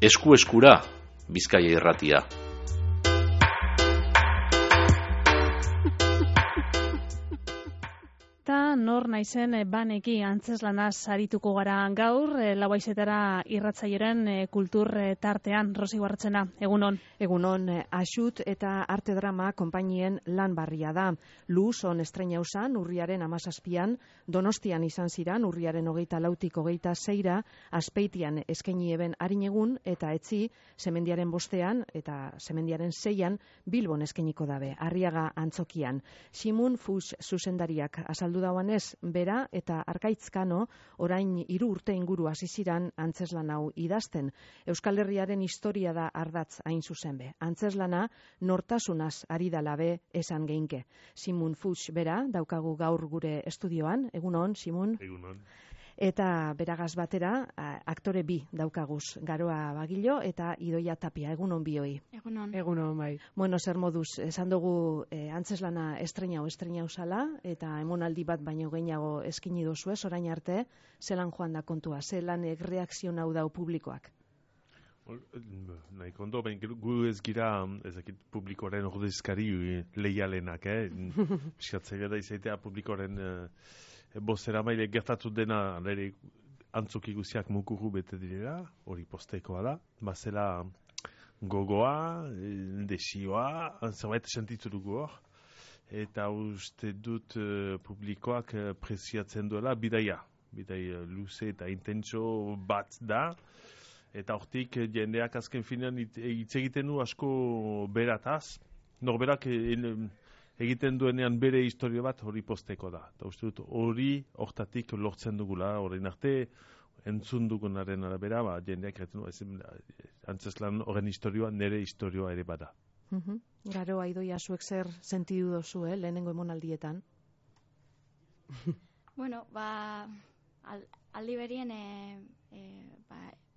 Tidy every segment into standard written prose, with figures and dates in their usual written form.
Esku-eskura, Bizkaia Irratia. Nor naizen baneki antzeslanaz arituko gara gaur, lauaizetara irratzaioren kultur tartean. Rosi Guarratzena, egunon. Egunon, Axut eta Arte Drama konpainien lan barria da. Luzon estreinausan urriaren 17an, Donostian izan ziran urriaren 24tik 26ra, Azpeitian eskaini eben harinegun eta etzi Semendiaren 5ean eta Semendiaren 6an Bilbon eskainiko dabe, Arriaga antzokian. Simun Fuchs zuzendariak azaldu dauan bera eta Arkaitzkano orain 3 urte inguru hasi ziran antzeslan hau idazten. Euskal Herriaren historia da ardatz hain zuzen be. Antzeslana nortasunaz ari dalabe esan geinke. Simun Fuchs bera daukagu gaur gure estudioan. Egunon, Simun? Egunon. Eta beragaz batera, aktore bi daukaguz, Garoa Bagilo eta Idoia Tapia. Egunon bioi. Egunon. Egunon, bai. Bueno, zer moduz, esan dugu antzeslana estreinau zala, eta emonaldi bat baino gehiago eskini dozu ez, orain arte, zelan joan da kontua, zelan reakzio hau dau publikoak? Nahi kondo, gu ez gira ezakit publikoaren ordezkari leialenak, Piskatzea da izaitea publikoaren bozera maile gertatu dena nire antzoki guziak mukuru bete direla, hori postekoa da, bazela gogoa, desioa, zerbait sentitu dugu hor, eta uste dut publikoak preziatzen duela bidaia luze eta intentso bat da, eta hortik jendeak azken finean hitz egiten du asko berataz, norberak egiten duenean bere historia bat hori posteko da. Eta uste dut hori hortatik lortzen dugula, orain arte entzun dugunaren arabera, jendeak egiten du, antzeslan horren historioa nire historioa ere bada. Garoa, Idoia, zuek zer sentidu dozu, lehenengo emonaldietan? Bueno, aldi berien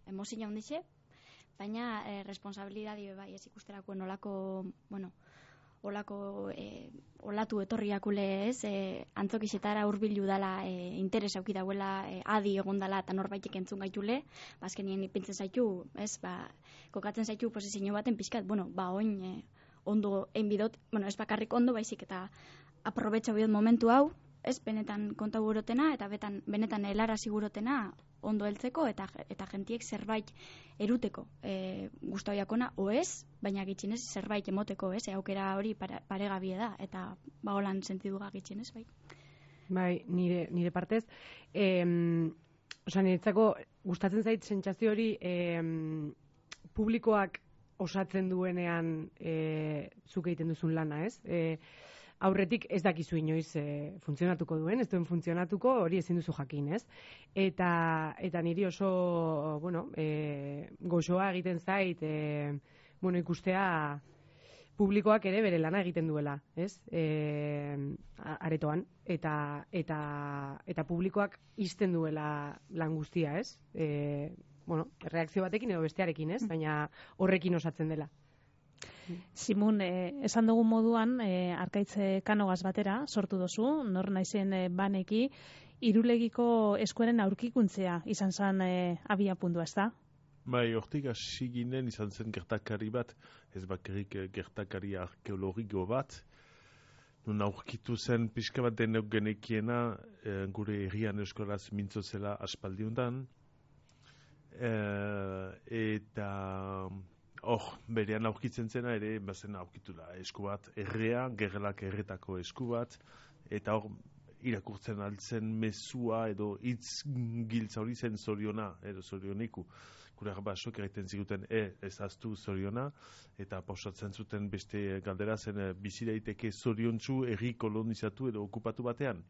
emozio handixe, baina responsabilidade bai ez ikusterako nolako, olatu etorriakule ez, antzokixetara hurbildu dala, interes auki dauela, adi egon dala eta norbaitek entzun gaitule, azkenien ipintzen zaitu, ez, kokatzen zaitu posizio baten pixkat, oin ondo egin bidot, ez bakarrik ondo baizik eta aprobetxa bidot momentu hau, ez, benetan konta gurotena eta benetan helara sigurotena ondo heltzeko eta jentiek zerbait eruteko guztoiakona, ez, baina gitxinez zerbait emoteko, ez, aukera hori paregabie da, eta holan sentiduga gitxinez, bai. Bai, nire partez, niretzako gustatzen zait sentsazio hori publikoak osatzen duenean zuk egiten duzun lana, ez? Aurretik ez dakizu inoiz funtzionatuko duen, ez duen funtzionatuko, hori ezin duzu jakin, ez? Eta niri oso, goxoa egiten zait, ikustea publikoak ere bere lana egiten duela, ez? Aretoan, eta publikoak izten duela lan guztia, ez? Reakzio batekin edo bestearekin, ez? Baina horrekin osatzen dela. Simun, esan dugun moduan, Arkaitz Kanogaz batera sortu dozu, nor naizen baneki, Irulegiko eskuaren aurkikuntzea izan zen abia puntua, ez da? Bai, hortik hasi ginen izan zen gertakari bat, ez bakarrik gertakari arkeologiko bat, nun aurkitu zen pixka bat denok genekiena gure herrian euskolaz mintzo zela aspaldiuntan, eta berean aurkitzen zena ere, bazen aurkitu da esku bat, gerlak erretako esku bat, eta irakurtzen altzen mezua edo hitz giltza hori zen zoriona, edo zorioniku. Gure basok egiten ziguten, ez aztu zoriona, eta pausatzen zuten beste galdera zen bizi daiteke zoriontsu herri kolonizatu edo okupatu batean.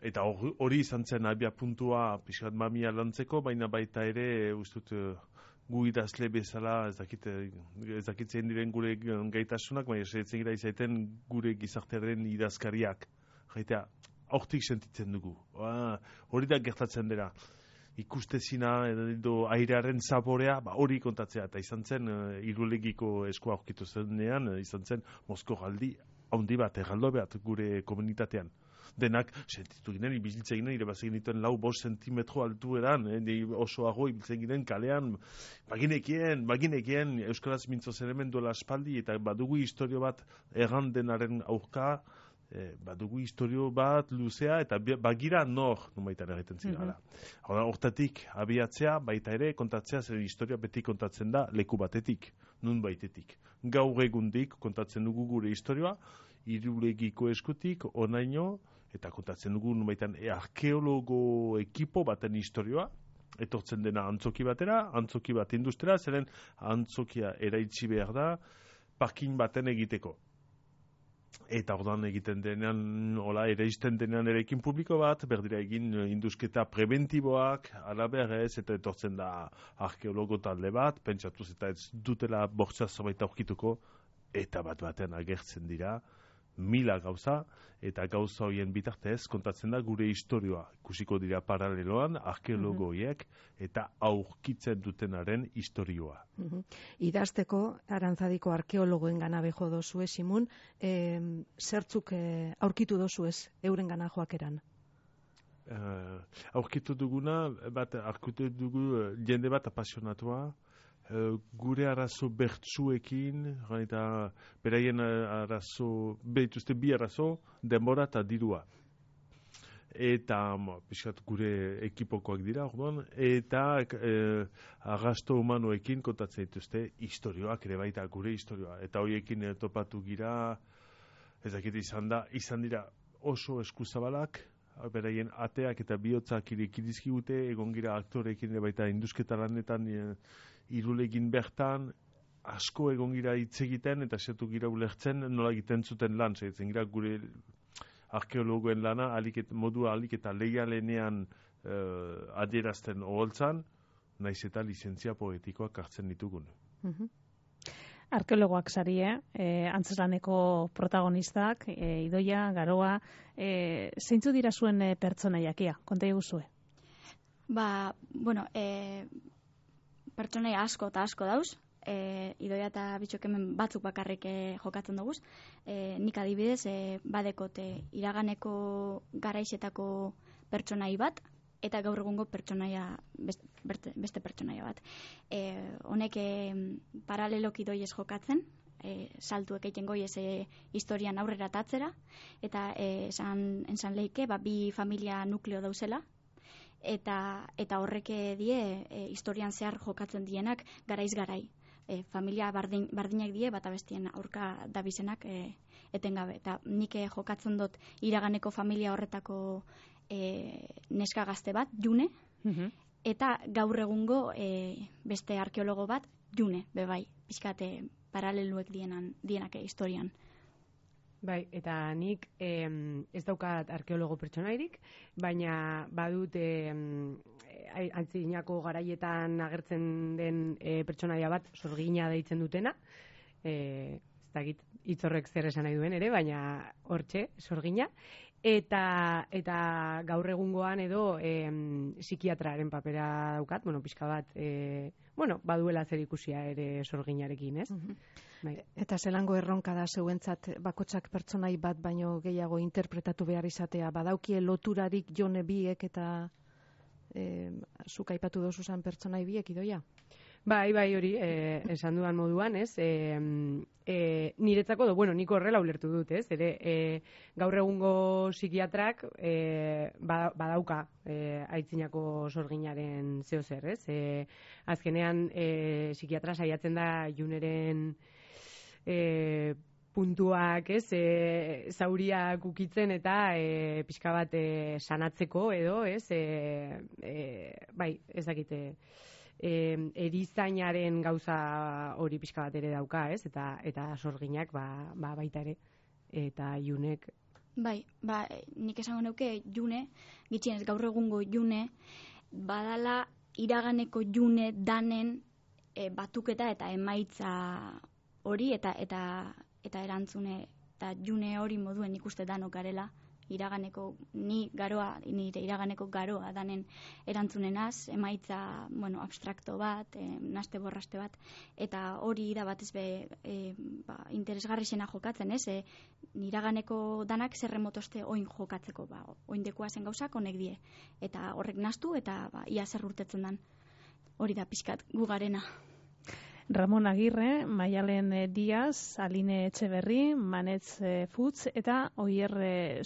Eta hori izan zen abia puntua pixkat mamia lantzeko, baina baita ere, ustut, gu idazle bezala, ez dakitzen diren gure gaitasunak, baina esatzen gira izaiten gure gizartearen idazkariak. Jaitea, hortik sentitzen dugu. Hori da gertatzen dira. Ikustezina edo airearen zaborea, hori kontatzea. Eta izan zen, Irulegiko eskua aurkitu zenean, izan zen Mosko galdi handi bat, erraldo bat gure komunitatean. denak, sentitu ginen, ibiltzen ginen, irebazen dituen 4-5 zentimetro altueran, osoago ibiltzen ginen kalean, baginekien, Euskaraz mintzo zeremen duela aspaldi, eta badugu historio bat erran denaren aurka, badugu historio bat luzea, eta bagira nor, numaitan egiten zirala. Hortatik, abiatzea, baita ere, kontatzea, zer historia beti kontatzen da leku batetik, nun baitetik. Gaur egundik kontatzen dugu gure historioa, Irulegiko eskutik, onaino, eta kontatzen dugu numaitan arkeologo ekipo baten historioa, etortzen dena antzoki batera, antzoki bat industria, zeren antzokia eraitsi behar da, parkin baten egiteko. Eta ordan egiten denean, eraisten denean erekin publiko bat, berdira egin indusketa preventiboak, alaberez, eta etortzen da arkeologo talde bat, pentsatuz eta ez dutela bortza zerbait aurkituko, eta batean agertzen dira, 1000 gauza, eta gauza horien bitartez kontatzen da gure historioa. Ikusiko dira paraleloan arkeologo horiek eta aurkitzen dutenaren historioa. Idazteko, Arantzadiko arkeologoen gana beho dozu Simun, zertzuk aurkitu dozu ez euren gana joakeran? Aurkitu duguna, aurkitu dugu jende bat apasionatua, gure arazo bertsuekin, eta beraien arazo, behituzte bi arazo, denbora eta dirua. Eta, pixkat gure ekipokoak dira, orduan, eta arrasto humanoekin kontatzen dituzte historioak ere baita gure historioa. Eta horiekin topatu gira, ezakit izan dira oso eskuzabalak, beraien ateak eta bihotzak irekidizkigute, egon gira aktorekin ere baita indusketa lanetan, Irulegin bertan, asko egon gira hitz egiten, eta setu gira ulertzen nola egiten zuten lan, segitzen gira gure arkeologoen lana, modua alik eta leialenean adierazten oholtzan, naiz eta lizentzia poetikoak hartzen ditugun. Arkeologoak sarie, antzeslaneko protagonistak, Idoia, Garoa, zeintzu dira zuen pertsonaiakia, konta eguzue? Pertsonai asko eta asko dauz, Idoia eta bitxok hemen batzuk bakarrik jokatzen dugu. Nik adibidez, badekote iraganeko garaizetako pertsonai bat, eta gaur egungo pertsonaia, beste pertsonaia bat. Honek paraleloki doiez jokatzen, saltuek egiten goiez historian aurrera tatzera, eta esan leike, bi familia nukleo dauzela, eta horrek die historian zehar jokatzen dienak garaiz garai. Familia bardinak die, bata bestien aurka dabizenak etengabe. Eta nik jokatzen dut iraganeko familia horretako neska gazte bat, June, eta gaur egungo beste arkeologo bat, June, bebai, pixkate paraleluek dienak historian. Bai, eta nik ez daukat arkeologo pertsonairik, baina badut antzinako garaietan agertzen den pertsonaia bat, Sorgina deitzen dutena, ez dakit hitzorrek zer esan nahi duen ere, baina hortxe, Sorgina, eta gaur egungoan edo psikiatraren papera daukat, pixka bat, baduela zer ikusia ere Sorginarekin, ez? Bai. Eta zelango erronka da zeuentzat bakotsak pertsonai bat baino gehiago interpretatu behar izatea, badaukie loturarik Jone biek eta zuk aipatu dozuzan pertsonai biek, Idoia? Bai, hori, esan dudan moduan, ez? Niretzako, nik horrela ulertu dut, ez? Gaur egungo psikiatrak badauka aitzinako Sorginaren zeo zer, ez? Azkenean, psikiatra saiatzen da Juneren puntuak, ez? Zauriak ukitzen eta pixka bat sanatzeko edo, ez? Bai, ez dakite... erizainaren gauza hori pixka bat ere dauka, ez? Eta Sorginak baita ere. Eta Junek... Bai, nik esango neuke June, gitxienez gaur egungo June, badala iraganeko June danen batuketa eta emaitza hori eta erantzune, eta June hori moduen ikuste danok garela, nire iraganeko garoa danen erantzunenaz, emaitza, abstrakto bat, naste borraste bat, eta hori da batez interesgarri zena jokatzen, ez? Iraganeko danak zerremotoste oin jokatzeko, oindekoa zen gauzak honek die, eta horrek nastu, eta ia zer urtetzen dan. Hori da pixkat gugarena. Ramon Agirre, Maialen Diaz, Aline Etxeberri, Manetz Futz eta Oier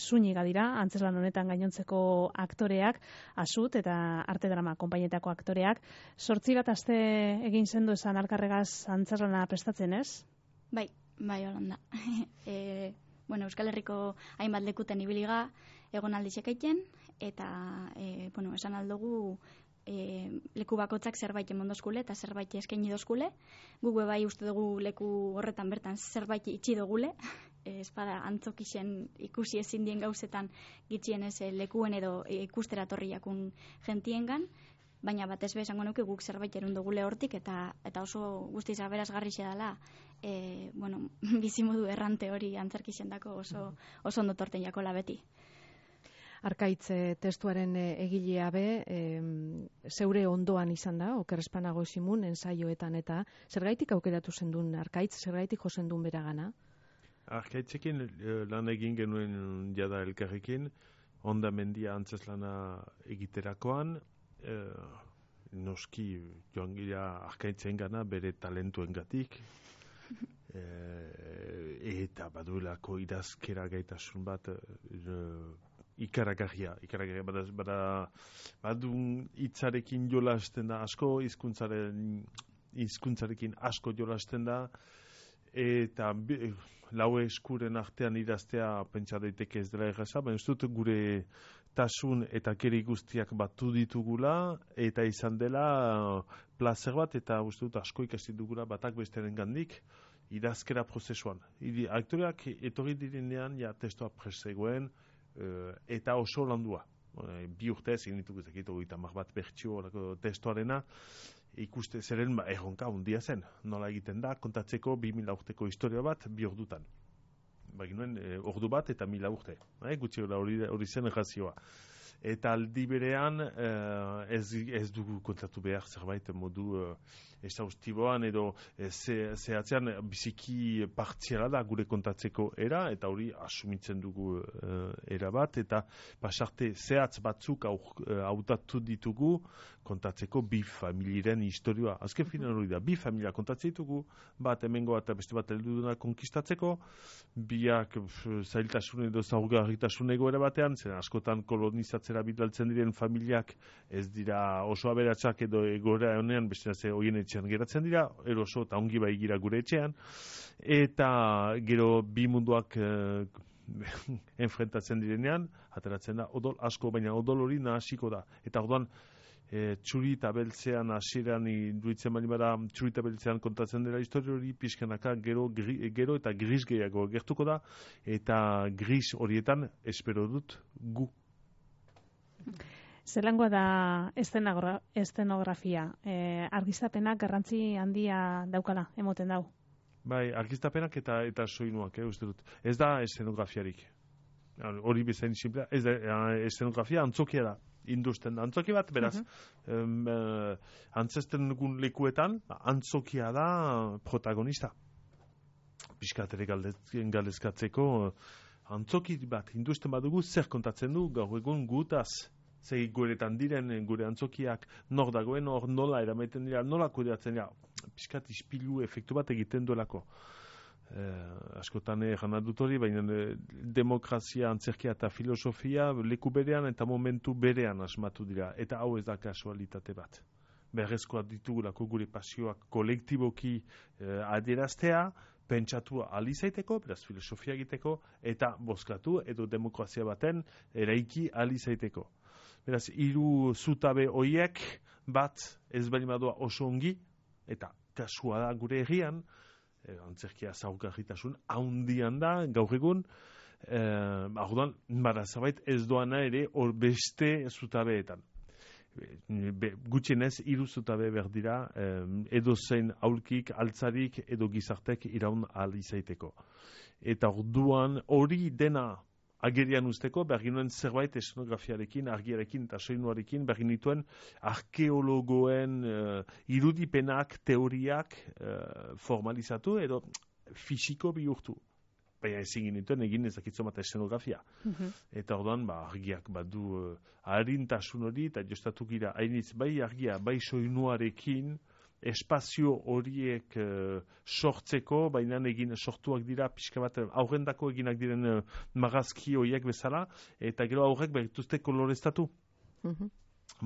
Zuniga dira, antzeslan honetan gainontzeko aktoreak, Asut eta Arte Drama konpainietako aktoreak. 8 aste egin zendu esan alkarregaz antzeslana prestatzen, ez? Bai, holanda. Euskal Herriko hainbat lekuten ibiliga egon aldizek egiten, eta esan aldugu leku bakotzak zerbait emondozkule eta zerbait eskaini dozkule. Guk bai uste dugu leku horretan bertan zerbait itxi dugule. Espada antzokixen ikusi ezin dien gauzetan gitzien ez lekuen edo ikustera torriakun gentiengan, baina batez esango nuke guk zerbait erun dugule hortik eta oso guztiz aberasgarrixe dela bizimodu errante hori antzerkixendako oso ondo torten jakola beti. Arkaitz testuaren egilea zeure ondoan izan da, Oker Espanago Simun, ensaioetan eta zergaitik aukeratu zendun Arkaitz, zergaitik josendun beragana? Arkaitzekin lan egin genuen jada elkarrekin, hondamendia antzeslana egiterakoan, noski joan gira Arkaitzen gana bere talentuengatik, eta baduelako idazkera gaitasun bat ikaragarria, badun hitzarekin jolasten da asko, hizkuntzarekin asko jolasten da, eta lau eskuren artean idaztea pentsa daiteke ez dela erraza, baina ez dut gure tasun eta keri guztiak batu ditugula, eta izan dela plazer bat, eta uste dut asko ikasi dugula batak besteren gandik, idazkera prozesuan. Aktoreak etorri direnean, testoa presegoen, eta oso landua. 2 urte egin ditugu zekitu 30 bat bertsio testoarena, ikuste zeren erronka hundia zen. Nola egiten da, kontatzeko 2000 urteko historia bat 2 ordutan. Baginuen ordu bat eta 1000 urte. Gutxi hori zen errazioa. Eta aldi berean ez dugu kontatu behar zerbait modu exhaustiboan edo zehatzean biziki partziala da gure kontatzeko era, eta hori asumitzen dugu era bat, eta pasarte zehatz batzuk hautatu ditugu kontatzeko 2 familiaren historia. Azken finan hori da, 2 familia kontatzen ditugu, bat hemengo eta beste bat helduduna konkistatzeko, biak zailtasun edo zaurgarritasun egoera batean, zen askotan kolonizatzera bidaltzen diren familiak ez dira oso aberatsak edo egoera honean beste hoien etxean geratzen dira, eroso eta ongi bai gira gure etxean, eta gero 2 munduak enfrentatzen direnean, ateratzen da odol asko, baina odol hori nahasiko da. Eta orduan, txuri eta beltzean hasieran induitzen bali bada, txuri eta beltzean kontatzen dela historia hori, pixkanaka gero eta gris gehiago gertuko da, eta gris horietan espero dut gu. Zelangoa da estenografia? Argiztapenak garrantzi handia daukala, emoten dau? Bai, argiztapenak eta soinuak, uste dut. Ez da estenografiarik. Hori bezain simplea. Ez da estenografia antzokia da. Industen da. Antzoki bat, beraz, antzesten dugun lekuetan, antzokia da protagonista. Piskatere galdezkatzeko, antzoki bat, industen badugu, zer kontatzen du, gaur egun gutaz. Zer guretan diren, gure antzokiak, nor dagoen, hor nola eramaiten dira, nola kudeatzen dira, piskat ispilu efektu bat egiten duelako. Askotan erran dut hori, baina demokrazia, antzerkia eta filosofia leku berean eta momentu berean asmatu dira, eta hau ez da kasualitate bat. Berrezkoa ditugulako gure pasioak kolektiboki adieraztea, pentsatu alizaiteko, beraz filosofia egiteko, eta bozkatu edo demokrazia baten eraiki alizaiteko. Beraz, 3 zutabe hoiek bat ez bali madua oso ongi, eta kasua da gure herrian, antzerkia zaurgarritasun haundian da, gaur egun, orduan, zabait ez doana ere hor beste zutabeetan. Gutxienez 3 zutabe behar dira, edo zein aulkik, altzarik edo gizartek iraun ahal izaiteko. Eta orduan hori dena agerian usteko, bergin nuen zerbait esenografiarekin, argiarekin eta soinuarekin, bergin nituen arkeologoen irudipenak, teoriak formalizatu edo fisiko bihurtu. Baina ezin ginituen egin ezakitzo bat esenografia. Eta orduan, argiak badu harintasun hori, eta jostatu gira, hainitz bai argia, bai soinuarekin, espazio horiek sortzeko, baina egin sortuak dira pixka bat aurrendako eginak diren magazki horiek bezala, eta gero aurrek berrituzte koloreztatu.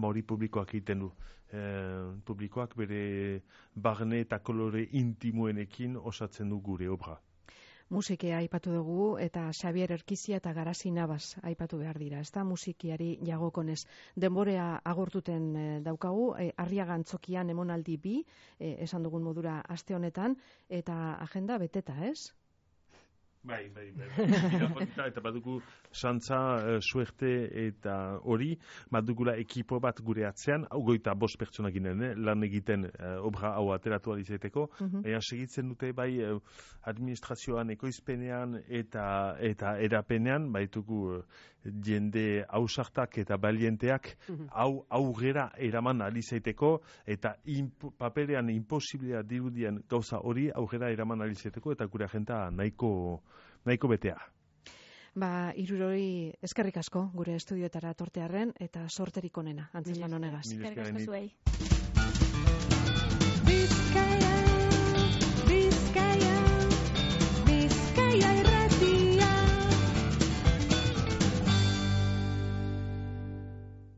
Hori publikoak egiten du. Publikoak bere barne eta kolore intimoenekin osatzen du gure obra. Musikea aipatu dugu eta Xabier Erkizia eta Garasi Nabas aipatu behar dira. Ez da musikiari jagokonez. Denborea agortuten daukagu, Arriaga Antzokian emonaldi 2, esan dugun modura aste honetan, eta agenda beteta, ez? Bai. Eta badugu santza, suerte eta hori, badugula ekipo bat gure atzean, 25 pertsona ginen, lan egiten obra hau ateratu alizeteko, baina segitzen dute bai administrazioan, ekoizpenean eta erapenean, baitugu jende ausartak eta balienteak aurrera eraman alizeteko, eta paperean imposiblea dirudien gauza hori aurrera eraman alizeteko, eta gure agenda nahiko betea. Hirurogei eskerrik asko gure estudioetara tortearren eta sorterik onena, antzeslan honegaz. Eskerrik asko zuei.